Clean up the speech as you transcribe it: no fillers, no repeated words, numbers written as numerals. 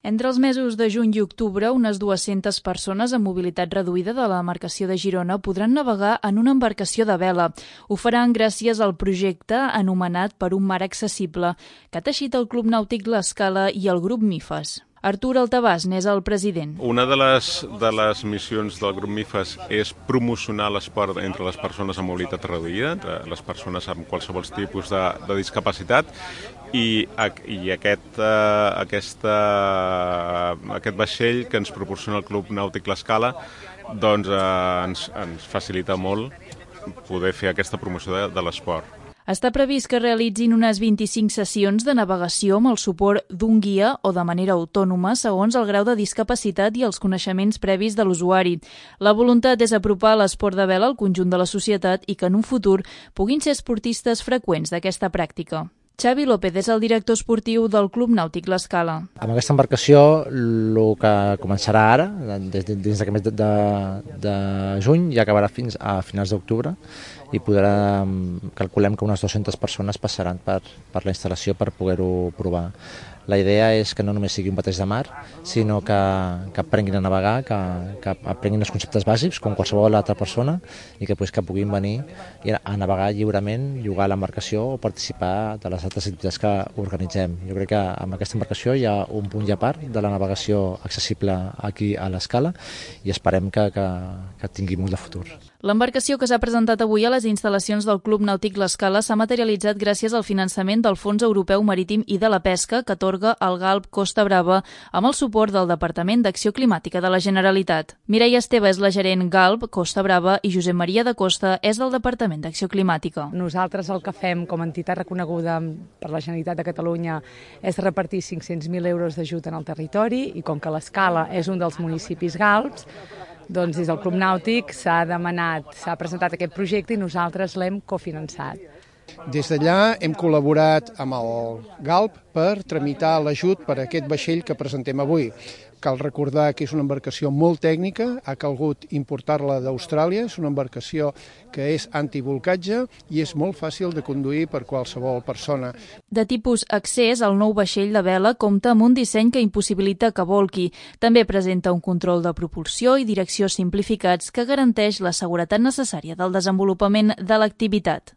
Entre els mesos de juny i octubre, unes 200 persones amb mobilitat reduïda de l'embarcació de Girona podran navegar en una embarcació de vela. Ho faran gràcies al projecte anomenat Per un mar accessible, que ha teixit el Club Nàutic L'Escala i el grup MIFAS. Artur Altabàs n'és el president. Una de les missions del grup MIFAS és promocionar l'esport entre les persones amb mobilitat reduïda, entre les persones amb qualsevol tipus de discapacitat, i aquest vaixell que ens proporciona el Club Nàutic L'Escala doncs ens facilita molt poder fer aquesta promoció de l'esport. Està previst que realitzin unes 25 sessions de navegació amb el suport d'un guia o de manera autònoma segons el grau de discapacitat i els coneixements previs de l'usuari. La voluntat és apropar l'esport de vela al conjunt de la societat i que en un futur puguin ser esportistes freqüents d'aquesta pràctica. Xavi López és el director esportiu del Club Nàutic L'Escala. Amb aquesta embarcació, el que començarà ara, dins d'aquest mes de juny, i acabarà fins a finals d'octubre, i calculem que unes 200 persones passaran per la instal·lació per poder-ho provar. La idea és que no només sigui un bateig de mar, sinó que aprenguin a navegar, que aprenguin els conceptes bàsics, com qualsevol altra persona, i que puguin venir a navegar lliurement, llogar l'embarcació o participar de les altres activitats que organitzem. Jo crec que amb aquesta embarcació hi ha un punt i a part de la navegació accessible aquí a l'Escala i esperem que tingui molt de futur. L'embarcació que s'ha presentat avui a les instal·lacions del Club Nàutic L'Escala s'ha materialitzat gràcies al finançament del Fons Europeu Marítim i de la Pesca que atorga el GALB Costa Brava amb el suport del Departament d'Acció Climàtica de la Generalitat. Mireia Esteve és la gerent GALB Costa Brava i Josep Maria de Costa és del Departament d'Acció Climàtica. Nosaltres el que fem com a entitat reconeguda per la Generalitat de Catalunya és repartir 500.000 euros d'ajut en el territori i com que l'Escala és un dels municipis GALBs, doncs des del Club Nàutic s'ha presentat aquest projecte i nosaltres l'hem cofinançat. Des d'allà hem col·laborat amb el GALB per tramitar l'ajut per a aquest vaixell que presentem avui. Cal recordar que és una embarcació molt tècnica, ha calgut importar-la d'Austràlia, és una embarcació que és antibolcatge i és molt fàcil de conduir per qualsevol persona. De tipus accés, el nou vaixell de vela compta amb un disseny que impossibilita que bolqui. També presenta un control de propulsió i direcció simplificats que garanteix la seguretat necessària del desenvolupament de l'activitat.